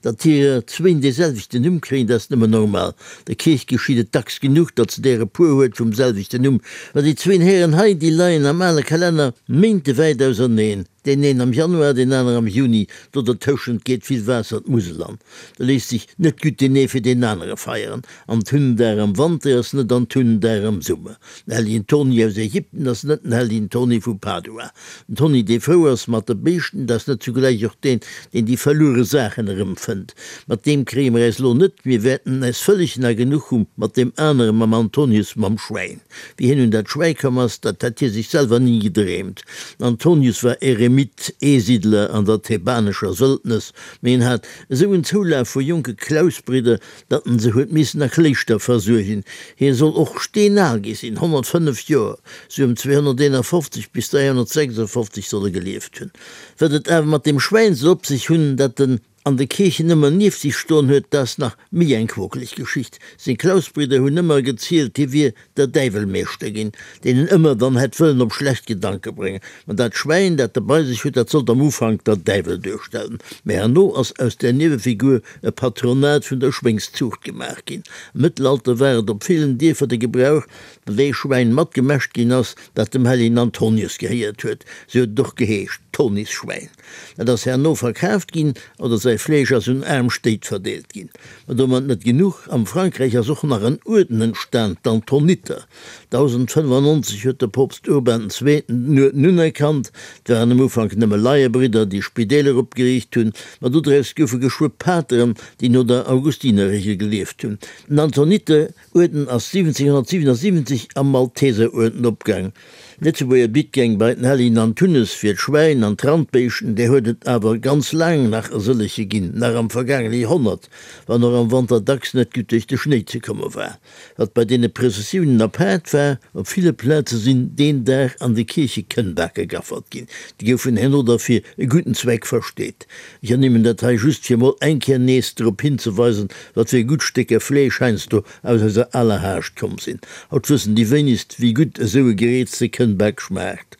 Datt hirer zwéin dee selwechten Numm kréien, dat ass nëmmen normal. Der Kierch geschitt et dacks genuch, datt se der e puer huet vum selwechten Numm. Mä déi zwéin Hären hei, déi leien am ale Kalenner méintewäit auserneen, deen een am Januar, deen anere am Juni. Do dertëschent geet vill Waasser d'Musel an. Da léisst sech net gutt deen ee fir deen anere feieren. Antundag am Wanter ass net Antundag am Summer. Den Hellegen Toni aus Ägypten ass net den Hellegen Toni vu Padua. Den Toni, dee frou ass mat de Béischten, dat ass net zugläich och deen, deen déi verluere Saachen erëmfënnt. Mat deem kréie mer äis lo net, mir wäerten äis vëlleg na genuch hu mat deem anere, mam Antonius mam Schwäin. Wéi hien un dat Schwäi komm ass, dat hätt hie sech selwer ni gedreemt. Den Antonius war Eremit, Eesiddler an der thebanescher Wëldnes, mee en hat esou en Zoulaf vu jonke Klausbridder, datt en se huet missen a Kléischter versuergen. Hie soll och steenal gi sinn, 105 Joer, sou ëm 251 bis 356 soll e gelieft hunn. Wat et awer mat deem Schwäin soll op sech hunn, dat en an de Kierchen ëmmer nieft sech stoen huet, dat ass nach méi eng quokeleg Geschicht. Seng Klausbridder hunn ëmmer gezielt, hie wier der Däiwel Meeschter ginn, deen en ëmmer dann hätt wëllen op schlecht Gedanke bréngen. Ma dat Schwäin, dat e bei sech huet, dat sollt am Ufank der Däiwel duerstellen, mä herno ass aus där Niewefigur e Patronat vun der Schwéngszuucht gemaach ginn. Am Mëttelalter war et op villen Dierfer de Gebrauch, datt ee Schwäin matgemäscht ginn ass, dat dem Hellegen Antonius gehéiert huet. Sou huet et och geheescht, Tonisschwäin. Dat ass herno verkaaft ginn oder säi Fleesch ass un aarm Stéit verdeelt ginn. Ma domat net genuch, am Frankräich ass och nach en Uerden entstan, d'Antoniter. 1095 huet de Poopst Urban den Zweeten den Uerden unerkannt. Et waren am Ufank nëmme Laiebridder, déi Spideeler opgeriicht hunn, ma dodraus goufe geschwë Pateren, déi no der Augustinerregel gelieft hunn. Den Antoniter Uerden ass 1777 am Malteseruerden opgaang. Lëtzebuerger Bittgäng bei den Hellegen Antunes fir d'Schwäin an d'Randbéischten, där huet et awer ganz laang nach e sëllege ginn, nach am vergaangene Joerhonnert, wann och am Wanter dacks net gutt duerch de Schnéi ze komme war. Wat bei deene Prëssessiounen apaart war, op ville Plaze sinn deen Dag an de Kierche Kënnbake gaffert ginn, déi goufen herno da fir e gudden Zweck versteet. Ech ernimmen dat hei just fir mol eng Kéier nees drop hinzeweisen, wat fir gutt Stécker Fleesch heiansdo aus eiser aler Haascht komm sinn. Haut wëssen déi wéinegst, wéi gutt esou e gereezte Kënnbak schmaacht.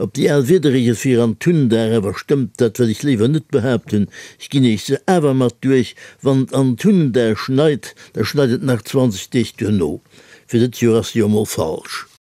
Ob déi al Wiederregel fir an Tundag awer stëmmt, dat wëll ech léiwer net behaapten. Ech ginn iech se awer mat duerch, Wann et an Tundag schneit, da schneit et nach 20 Deeg duerno. Fir dëtt Joer ass se jo mol falsch.